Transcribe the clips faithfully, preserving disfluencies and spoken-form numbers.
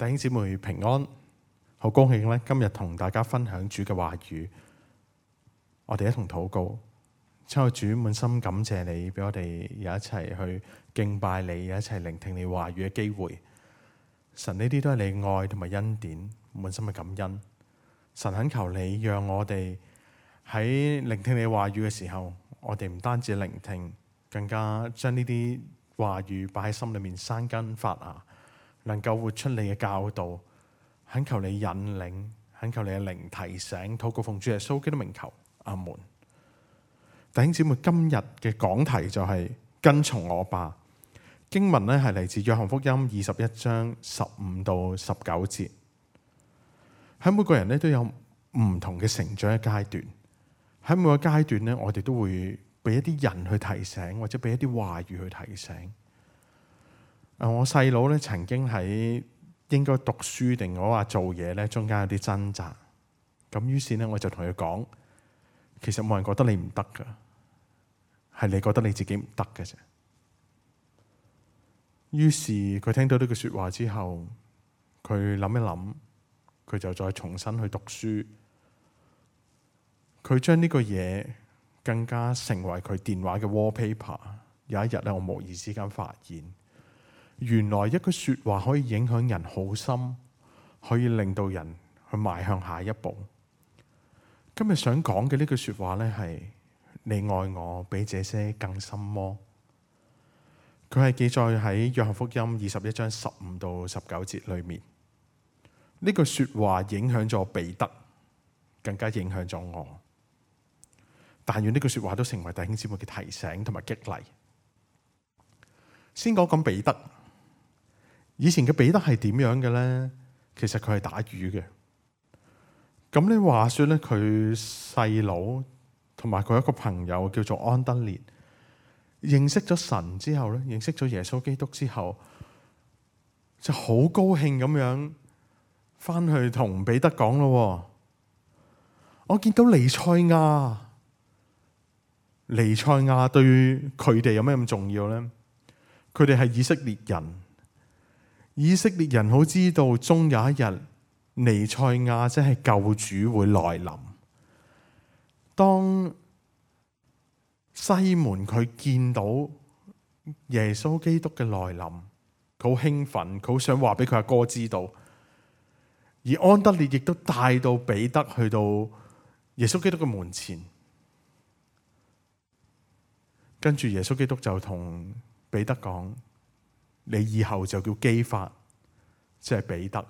弟兄姊妹平安，好高興咧！今日同大家分享主嘅話語，我哋一同禱告。親愛主，滿心感謝你，俾我哋有一齊去敬拜你，有一齊聆聽你話語嘅機會。神，呢啲都係你愛同埋恩典，滿心嘅感恩。神，懇求你讓我哋喺聆聽你話語嘅時候，我哋唔單止聆聽，更加將呢啲話語擺喺心裏面生根發芽，能夠活出你嘅教導。懇求你引領，懇求你嘅靈提醒，禱告奉主耶穌基督名求，阿門。弟兄姊妹，今日嘅講題就係跟從我吧。經文咧係嚟自約翰福音二十一章十五到十九節。喺每個人咧都有唔同嘅成長嘅階段，喺每個階段咧，我哋都會俾一啲人去提醒，或者俾一啲話語去提醒。啊，我細佬咧曾經喺應該讀書定我話做嘢咧，中間有啲掙扎。咁於是咧，我就同佢講，其實冇人覺得你唔得噶，係你覺得你自己唔得嘅啫。於是佢聽到呢句說話之後，佢諗一諗，佢就再重新去讀書。佢將呢個嘢更加成為佢電話嘅 wallpaper。有一日咧，我無意之間發現，原來一句說話可以影響人好深，可以令到人去邁向下一步。今日想講嘅呢句說話咧，係你愛我比這些更深麼？佢係記載喺約翰福音二十一章十五到十九節裏面。呢句說話影響咗彼得，更加影響咗我。但願呢句說話都成為弟兄姊妹嘅提醒同埋激勵。先講講彼得。以前嘅彼得係點樣嘅呢？其實佢係打魚嘅。咁你話說咧，佢細佬同埋佢一個朋友叫做安德烈，認識咗神之後咧，認識咗耶穌基督之後，就好高興咁樣翻去同彼得講咯。我見到彌賽亞，彌賽亞對佢哋有咩咁重要呢？佢哋係以色列人。以色列人好知道，終有一日彌賽亞即係救主會來臨。當西門佢見到耶穌基督嘅來臨，佢好興奮，佢好想話俾佢阿哥知道。而安德烈亦都帶到彼得去到耶穌基督嘅門前，跟住耶穌基督就同彼得講：你以後就叫基法，即係彼得。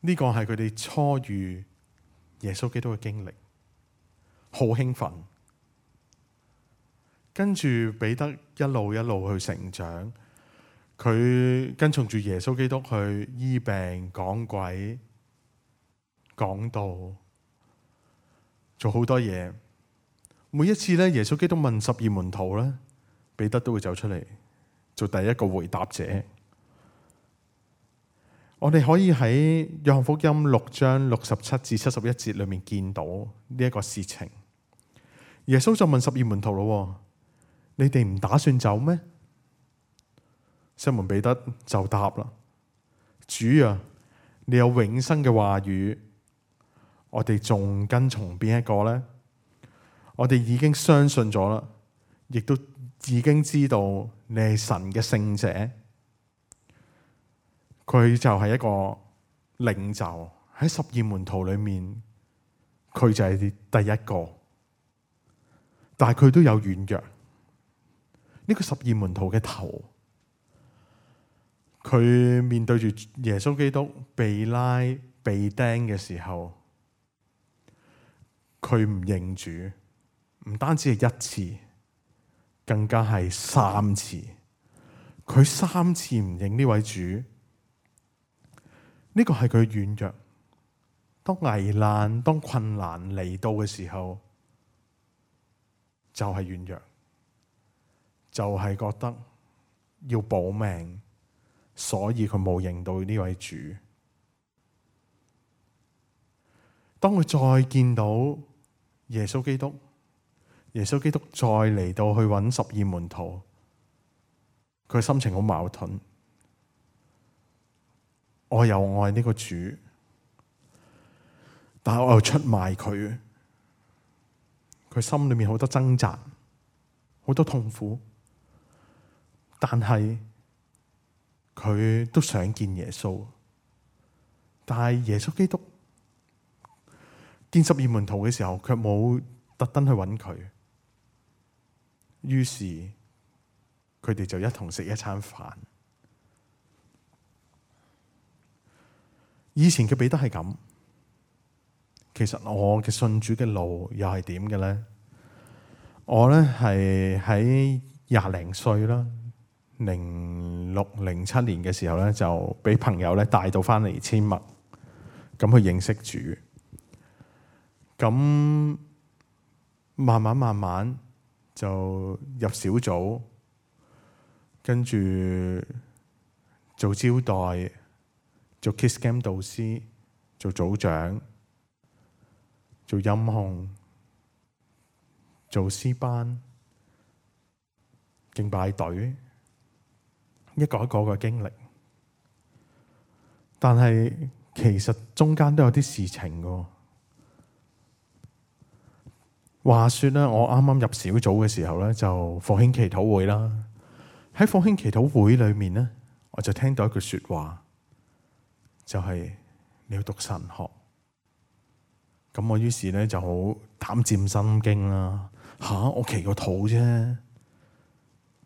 呢個係佢哋初遇耶穌基督嘅經歷，好興奮。跟住彼得一路一路去成長，佢跟從住耶穌基督去醫病、講鬼、講道，做好多嘢。每一次咧，耶穌基督問十二門徒咧，彼得都會走出嚟做第一個回答者。我哋可以喺約翰福音六章六十七至七十一節裏面見到呢一個事情。耶穌就問十二門徒咯：你哋唔打算走咩？西門彼得就答啦：主啊，你有永生嘅話語，我哋仲跟從邊一個呢？我哋已經相信咗啦，亦都已經知道你係神嘅聖者。佢就係一個領袖，喺十二門徒裏面，佢就係第一個。但係佢都有軟弱。呢個十二門徒嘅頭，佢面對住耶穌基督被拉被釘嘅時候，佢唔認主，唔單止係一次，更加係三次。佢三次唔認呢位主，呢個係佢軟弱。當危難、當困難嚟到嘅時候，就係軟弱，就係覺得要保命，所以佢冇認到呢位主。當佢再見到耶穌基督，耶穌基督再嚟到去揾十二門徒，佢心情好矛盾。我又愛呢個主，但係我又出賣佢，佢心裏面好多掙扎，好多痛苦，但係佢都想見耶穌，但係耶穌基督見十二門徒嘅時候，卻冇特登去揾佢，於是佢哋就一同食一餐飯。以前嘅彼得係咁，其實我嘅信主嘅路又係點嘅咧？我咧係喺廿零歲啦，零六零七年嘅時候咧，就俾朋友咧帶到翻嚟千麥，咁去認識主。咁慢慢慢慢就入小組，跟住做招待，做 Kids Camp 導師，做組長，做音控，做詩班，敬拜隊，一個一個嘅經歷。但係其實中間都有啲事情嘅。話說咧，我啱啱入小組嘅時候咧，就復興祈禱會啦。喺復興祈禱會裏面咧，我就聽到一句說話，就係你要讀神學。咁我於是咧就好膽戰心驚啦。吓、啊，我祈個禱啫，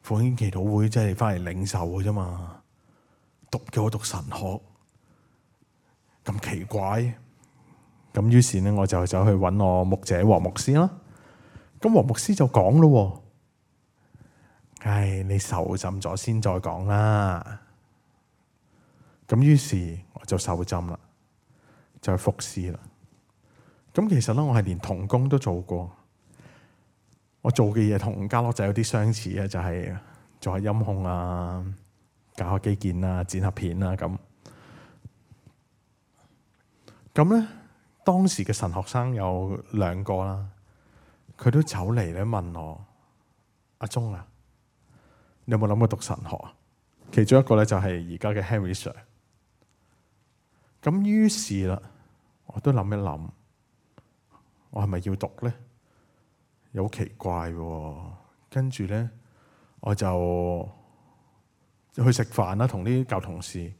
復興祈禱會即係翻嚟領受嘅啫嘛，讀叫我讀神學，咁奇怪。咁於是咧，我就走去揾我牧者黃牧師啦。咁黃牧師就講咯，唉，你受浸咗先再講啦。咁於是我就受浸啦，就去服侍啦。咁其實咧，我係連同工都做過。我做嘅嘢同家樂仔有啲相似嘅，就係、是、做下音控啊，搞下基建啊，剪下片啊咁。咁咧，當時嘅神學生有兩個啦，佢都走嚟咧問我：阿鐘啊，你有冇諗過讀神學啊？其中一個咧就係而家嘅 Henry Sir。咁於是啦，我都諗一諗，我係咪要讀咧？有好奇怪喎。跟住咧，我就去食飯啦，同啲舊同事。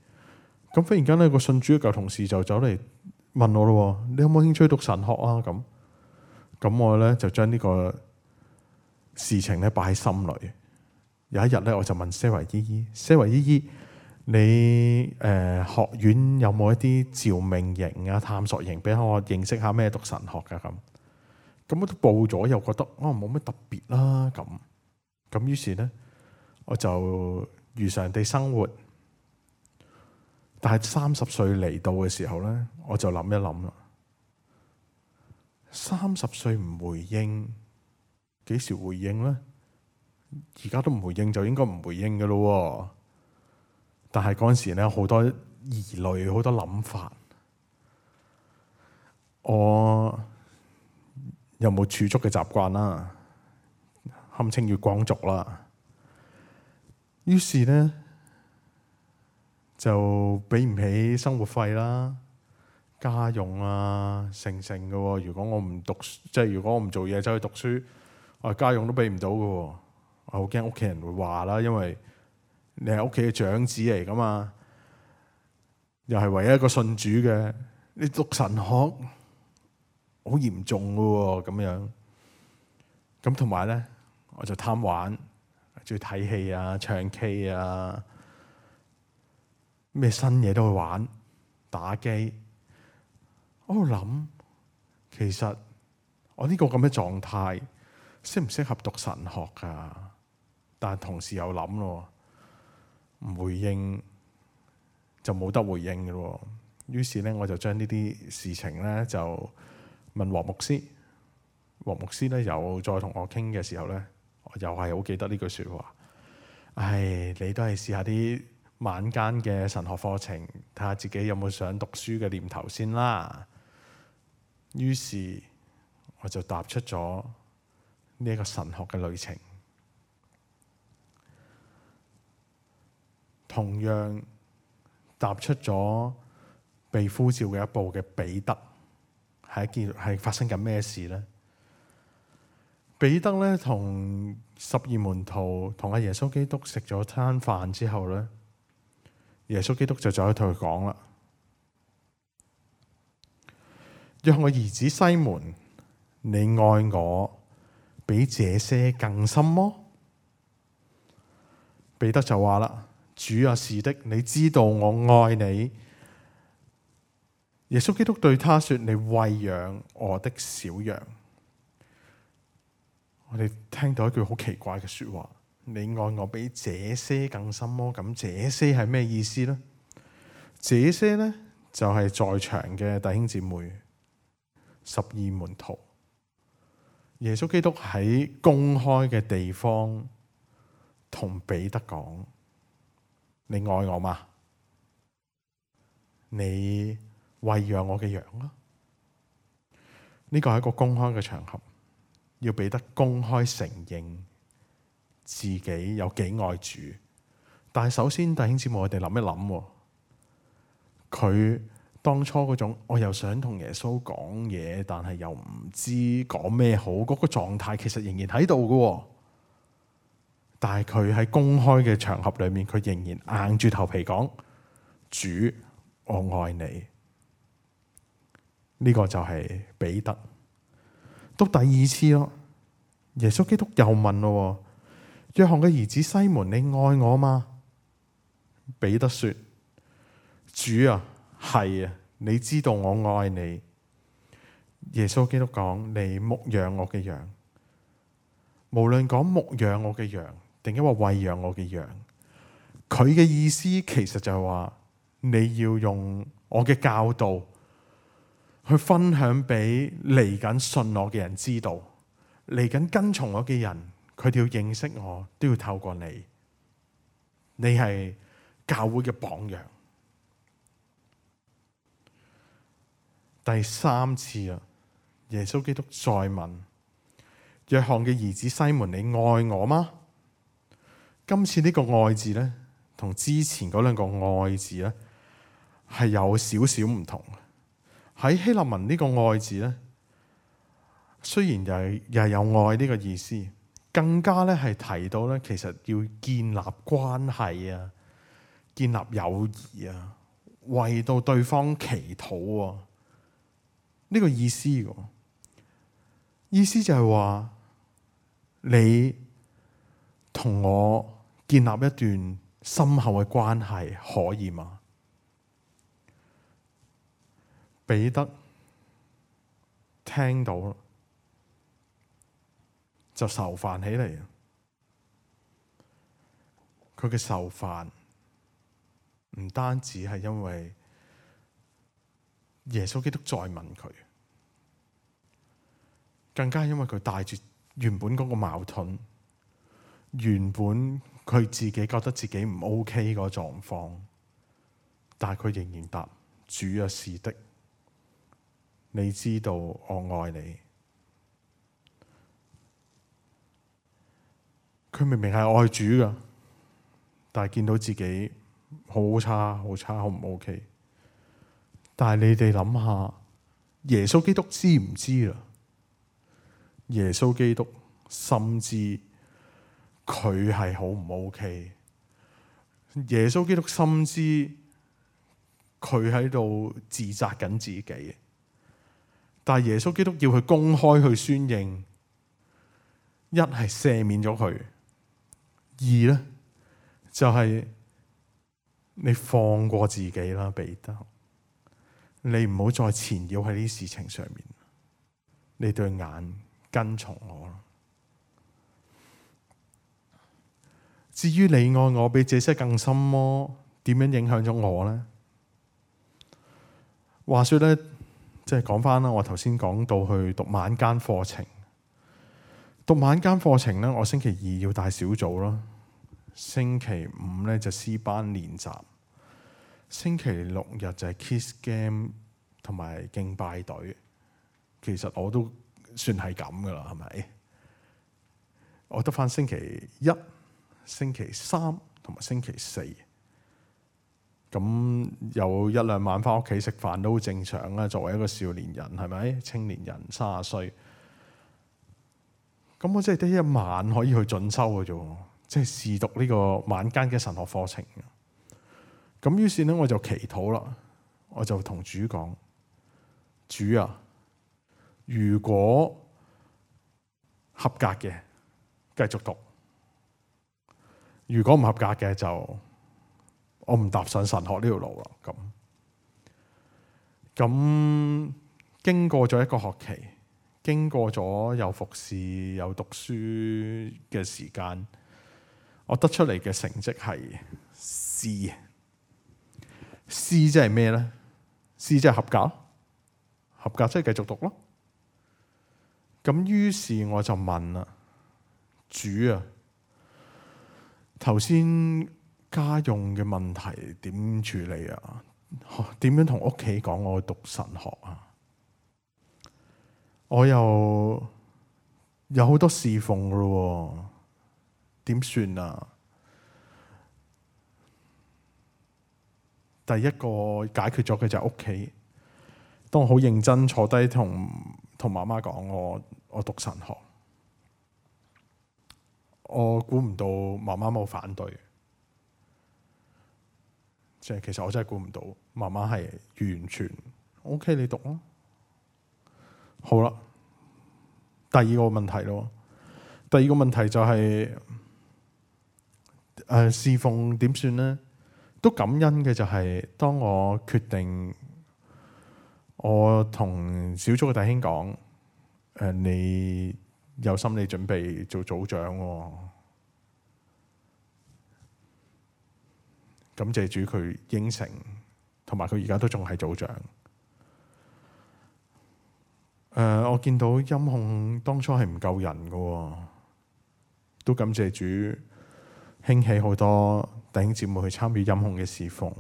咁忽然間咧，個信主嘅舊同事就走嚟問我咯：你有冇興趣讀神學啊？咁咁我咧就將呢個事情咧擺喺心裏。有一日咧，我就問 Sarah 姨姨：Sarah 姨姨，你誒、呃、學院有冇一啲召命營啊、探索營，俾我認識下咩讀神學噶？咁咁我都報咗，又覺得啊冇乜特別啦。咁咁於是咧，我就如常地生活。但係三十歲嚟到嘅時候咧，我就諗一諗啦。三十歲唔回應，幾時回應咧？而家都唔回應，就應該唔回應嘅咯。但係嗰陣時咧，好多疑慮，好多諗法。我有冇儲蓄嘅習慣啦？堪稱月光族啦。於是咧就俾唔起生活費啦、家用啊，成成嘅。如果我唔讀，即係如果我唔做嘢走去讀書，我家用都俾唔到嘅。我好驚屋企人會話啦，因為你係屋企嘅長子嚟噶嘛，又係唯一一個信主嘅，你讀神學好嚴重嘅咁樣。咁同埋咧，我就貪玩，中意睇戲啊、唱 K 啊，咩新嘢都去玩，打機。我喺度諗，其實我呢個咁嘅狀態適唔適合讀神學噶？但係同時又諗咯，唔回應就冇得回應嘅咯。於是咧，我就將呢啲事情咧就問黃牧師。黃牧師咧又再同我傾嘅時候咧，我又係好記得呢句說話。唉，你都係試下啲晚間嘅神學課程，睇下自己有冇想讀書嘅念頭先啦。於是我就踏出咗呢一個神學嘅旅程。同樣踏出咗被呼召嘅一步嘅彼得，係一件係發生緊咩事呢？彼得咧同十二門徒同阿耶穌基督食咗餐飯之後咧，耶穌基督就走去同佢講啦：若我兒子西門，你愛我比這些更深麼？彼得就話啦：主啊，是的，你知道我愛你。耶穌基督對他說：你餵養我的小羊。我哋聽到一句好奇怪嘅說話：你愛我比這些更深麼？咁這些係咩意思呢？這些呢，就係在場嘅弟兄姊妹，十二門徒。耶穌基督喺公開嘅地方同彼得講：你愛我嗎？你餵養我嘅羊啊！呢個係一個公開嘅場合，要彼得公開承認自己有幾愛主。但係首先，弟兄姊妹，我哋諗一諗，佢當初嗰種我又想同耶穌講嘢，但係又唔知講咩好，嗰個狀態其實仍然喺度嘅。但係佢喺公開嘅場合裏面，佢仍然硬住頭皮講：主，我愛你。呢個就係彼得。到第二次咯，耶穌基督又問咯：約翰嘅兒子西門，你愛我嗎？彼得說：主啊，係啊，你知道我愛你。耶穌基督講：你牧養我嘅羊。無論講牧養我嘅羊，定抑或餵養我嘅羊，佢嘅意思其實就係話，你要用我嘅教導去分享俾嚟緊信我嘅人知道，嚟緊跟從我嘅人，佢哋要認識我，都要透過你。你係教會嘅榜樣。第三次啊，耶穌基督再問：約翰嘅兒子西門，你愛我嗎？今次呢個愛字咧，同之前嗰兩個愛字咧，係有少少唔同。喺希臘文呢個愛字咧，雖然又係又係有愛呢個意思，更加咧係提到咧，其實要建立關係啊，建立友誼啊，為到對方祈禱啊，呢個意思嘅意思就係話，你同我建立一段深厚嘅關係，可以嗎？彼得聽到就愁煩起嚟。佢嘅愁煩唔單止係因為耶穌基督再問佢，更加係因為佢帶住原本嗰個矛盾，原本佢自己覺得自己唔 OK 個狀況，但係佢仍然答：主啊，是的，你知道我愛你。佢明明係愛主噶，但係見到自己好差、好差、好唔 OK。但係你哋諗下，耶穌基督知唔知啦？耶穌基督深知佢係好唔 OK。耶穌基督深知佢喺度自責緊自己。但係耶穌基督要佢公開去宣認，一係赦免咗佢，二咧就係、是、你放過自己啦，彼得，你唔好再纏繞喺呢啲事情上面，你對眼跟從我啦。至於你愛我比這些更深麼？點樣影響咗我呢？話說咧。即係講翻啦，我頭先講到去讀晚間課程，讀晚間課程咧，我星期二要帶小組啦，星期五咧就詩班練習，星期六日就係 Kids Game 同埋敬拜隊。其實我都算係咁噶啦，係咪？我得翻星期一、星期三同埋星期四，咁有一兩晚翻屋企食飯都好正常啦。作為一個少年人，係咪？青年人三十歲，咁我真係得一晚可以去進修嘅啫，即係試讀呢個晚間嘅神學課程。咁於是咧，我就祈禱啦，我就同主講：主啊，如果合格嘅，繼續讀；如果唔合格嘅，就我唔踏上神學呢條路啦。咁咁經過咗一個學期，經過咗有服侍、有讀書嘅時間，我得出嚟嘅成績係 C。C 即係咩咧 ？C 即係合格，合格即係繼續讀咯。咁於是我就問啦：主啊，頭先家用嘅問題點處理啊？點樣同屋企講我讀神學啊？我又有好多侍奉噶咯，點算啊？第一個解決咗嘅就係屋企。當我好認真坐低同同媽媽講我我讀神學，我估唔到媽媽冇反對。即係其實我真係估唔到媽媽係完全 OK， 你讀咯。好啦，第二個問題咯。第二個問題就係誒侍奉點算呢？都感恩嘅就係當我決定，我同小組嘅弟兄講：誒，你有心理準備做組長喎。感謝主佢應承，同埋佢而家都仲係組長。誒、呃，我見到音控當初係唔夠人嘅，都感謝主興起好多弟兄姊妹去參與音控嘅侍奉，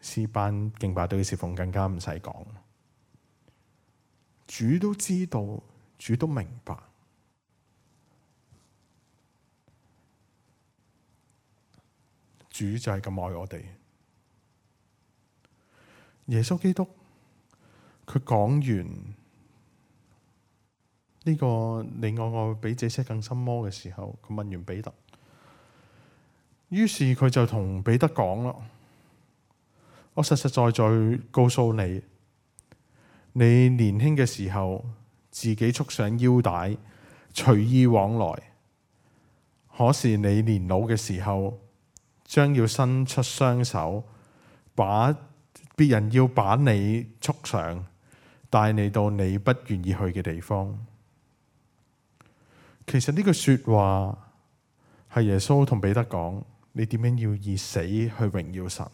詩班敬拜隊嘅侍奉更加唔使講。主都知道，主都明白。主就係咁愛我哋。耶穌基督佢講完呢個你愛我比這些更深麼嘅時候，佢問完彼得，於是佢就同彼得講啦：我實實在在告訴你，你年輕嘅時候自己束上腰帶，隨意往來；可是你年老嘅時候，將要伸出雙手，把別人要把你束上，帶你到你不願意去嘅地方。其實呢句說話係耶穌同彼得講：你點樣要以死去榮耀神？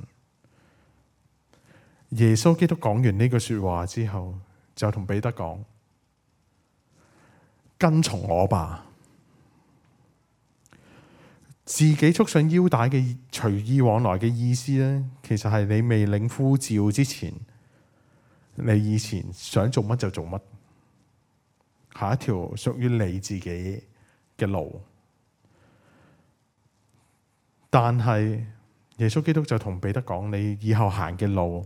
耶穌基督講完呢句說話之後，就同彼得講：跟從我吧。自己束上腰帶嘅隨意往來嘅意思咧，其實係你未領呼召之前，你以前想做乜就做乜，下一條屬於你自己嘅路。但係耶穌基督就同彼得講：你以後行嘅路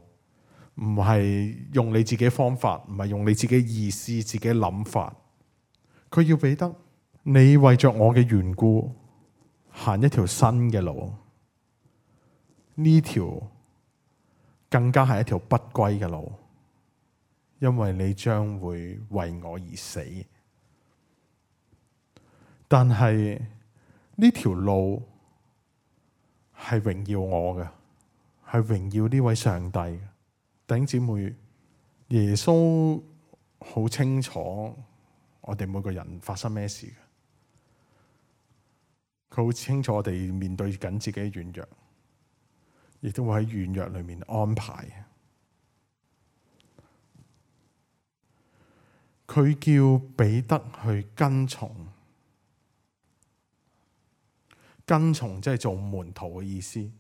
唔係用你自己方法，唔係用你自己意思、自己諗法。佢要彼得，你為着我嘅緣故，行一條新嘅路，呢條更加係一條不歸嘅路，因為你將會為我而死。但係呢條路係榮耀我嘅，係榮耀呢位上帝嘅。弟兄姊妹，耶穌好清楚我哋每個人發生咩事嘅。佢好清楚我哋面對緊自己嘅軟弱，亦都會喺軟弱裏面安排。佢叫彼得去跟從，跟從即係做門徒嘅意思。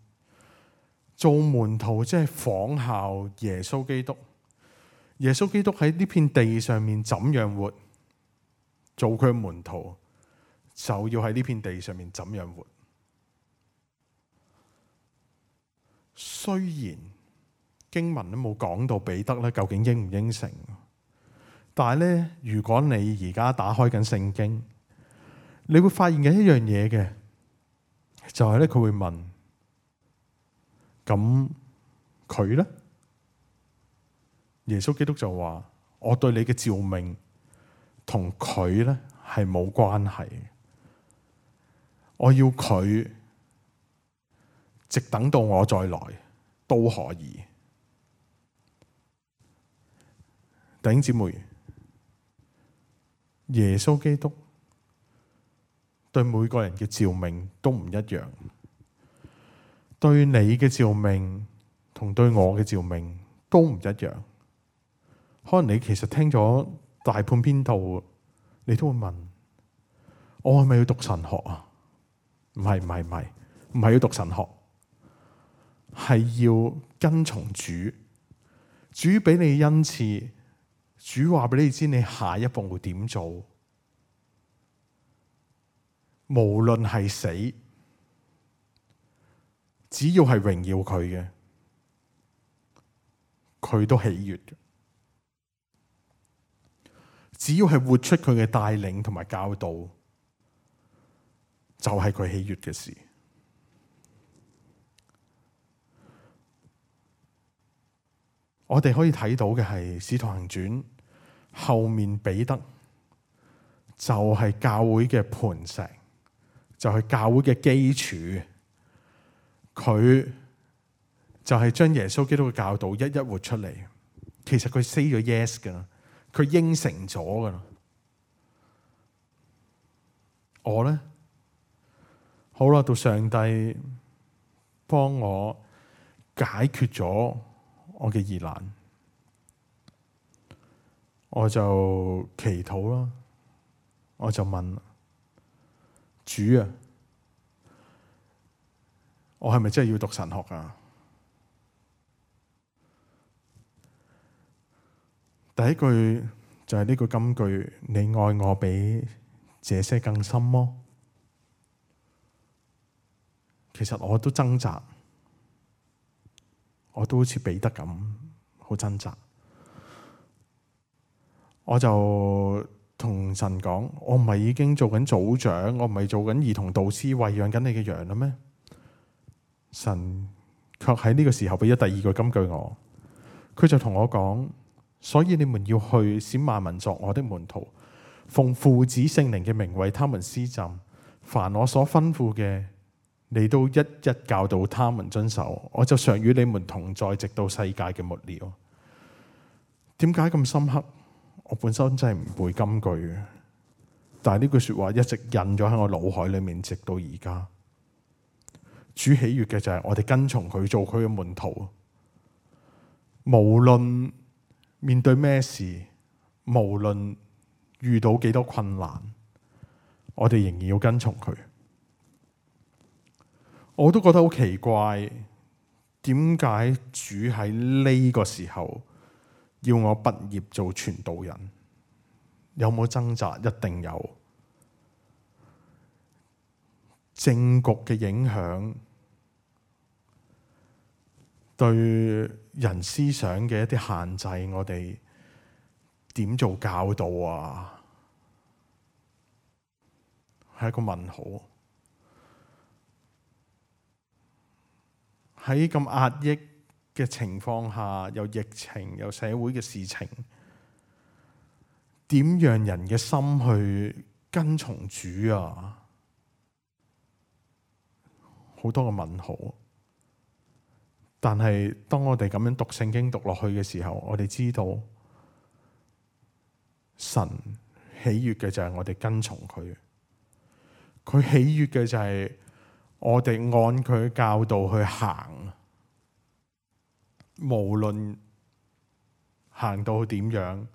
做門徒即係仿效耶穌基督。耶穌基督喺呢片地上面怎樣活，做佢嘅門徒，就要喺呢片地上面怎樣活。雖然經文都冇講到彼得咧究竟應唔應承，但係咧，如果你而家打開緊聖經，你會發現嘅一樣嘢嘅，就係咧佢會問：咁佢咧？耶穌基督就話：我對你嘅召命同佢咧係冇關係，我要佢直等到我再來都可以。弟兄姊妹，耶穌基督對每個人嘅召命都唔一樣，對你嘅召命同對我嘅召命都唔一樣。可能你其實聽咗大半篇道，你都會問：我係咪要讀神學啊？唔係唔係唔係，唔係要讀神學，係要跟從主。主俾你恩賜，主話俾你知你下一步會點做。無論係死，只要係榮耀佢嘅，佢都喜悅嘅。只要係活出佢嘅帶領同埋教導，就係佢喜悅嘅事。我哋可以睇到嘅係《使徒行傳》後面彼得就係教會嘅磐石，就係教會嘅基礎。佢就係將耶穌基督嘅教導一一活出嚟。其實佢 say 咗 yes 噶，佢應承咗噶啦。我咧，好啦，到上帝幫我解決咗我嘅疑難，我就祈禱啦，我就問主啊，我係咪真係要讀神學啊？第一句就係呢句金句：你愛我比這些更深麼？其實我都掙扎，我都好似彼得咁好掙扎。我就同神講：我唔係已經做緊組長，我唔係做緊兒童導師，餵養緊你嘅羊啦咩？神卻喺呢個時候俾咗第二句金句我，佢就同我講：所以你們要去，使萬民作我的門徒，奉父子聖靈嘅名為他們施浸，凡我所吩咐嘅，你都一一教導他們遵守。我就常與你們同在，直到世界嘅末了。點解咁深刻？我本身真係唔背金句嘅，但係呢句說話一直印咗喺我腦海裏面，直到而家。主喜悅嘅就係我哋跟從佢，做佢嘅門徒，無論面對咩事，無論遇到幾多困難，我哋仍然要跟從佢。我都覺得好奇怪，點解主喺呢個時候要我畢業做傳道人？有冇掙扎？一定有。政局嘅影響，對人思想嘅一啲限制，我哋點做教導啊？係一個問號。喺咁壓抑嘅情況下，有疫情，有社會嘅事情，點讓人嘅心去跟從主啊？好多個問號。但係當我哋咁樣讀聖經讀落去嘅時候，我哋知道神喜悅嘅就係我哋跟從佢，佢喜悅嘅就係我哋按佢教導去行，無論行到點樣，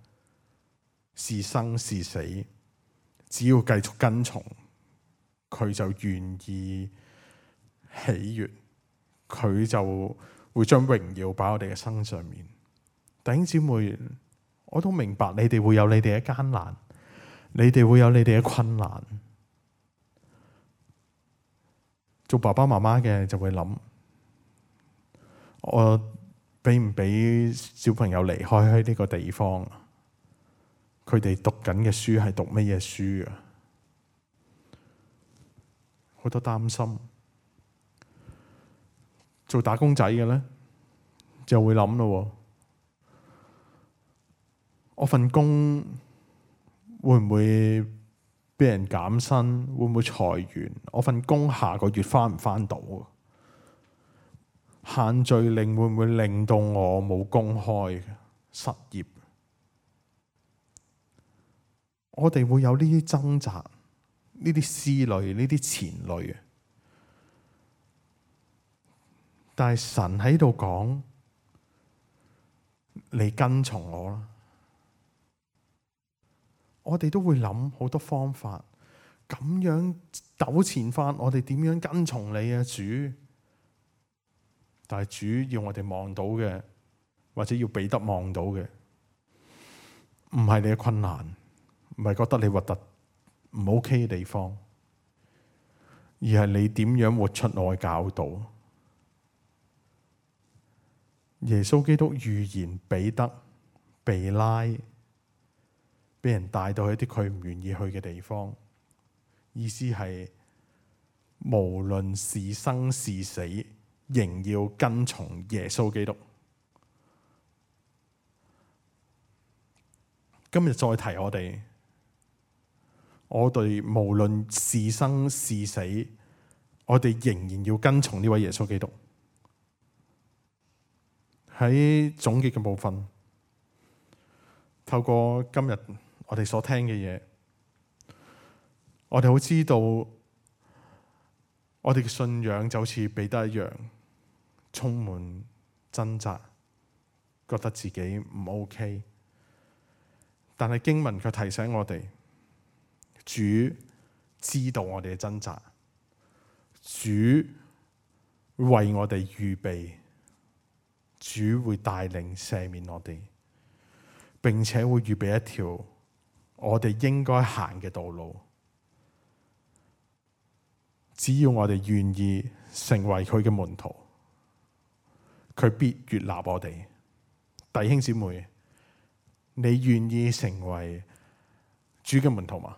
是生是死，只要繼續跟從，佢就願意喜悅，佢就會將榮耀擺喺我哋嘅身上面。弟兄姊妹，我都明白你哋會有你哋嘅艱難，你哋會有你哋嘅困難。做爸爸媽媽嘅就會諗，我俾唔俾小朋友離開呢個地方？佢哋讀緊嘅書係讀乜嘢書啊？好多擔心。做打工仔嘅咧，就會諗咯，我份工會唔會俾人減薪？會唔會裁員？我份工下個月返唔返到？限聚令會唔會令到我冇工開，失業？我哋會有呢啲掙扎，呢啲思慮，呢啲纏慮。但係神喺度講，你跟從我啦。我哋都會諗好多方法，咁樣糾纏翻，我哋點樣跟從你啊，主？但係主要我哋望到嘅，或者要彼得望到嘅，唔係你嘅困難，唔係覺得你核突唔 OK 嘅地方，而係你點樣活出我嘅教導。耶穌基督預言彼得被拉，俾人帶到去一啲佢唔願意去嘅地方，意思係無論是生是死，仍要跟從耶穌基督。今日再提我哋，我哋無論是生是死，我哋仍然要跟從呢位耶穌基督。喺總結嘅部分，透過今日我哋所聽嘅嘢，我哋好知道，我哋嘅信仰就好似彼得一樣，充滿掙扎，覺得自己唔 OK。但係經文卻提醒我哋，主知道我哋嘅掙扎，主為我哋預備。主會帶領赦免我哋，並且會預備一條我哋應該行嘅道路。只要我哋願意成為佢嘅門徒，佢必悅納我哋。弟兄姊妹，你願意成為主嘅門徒嗎？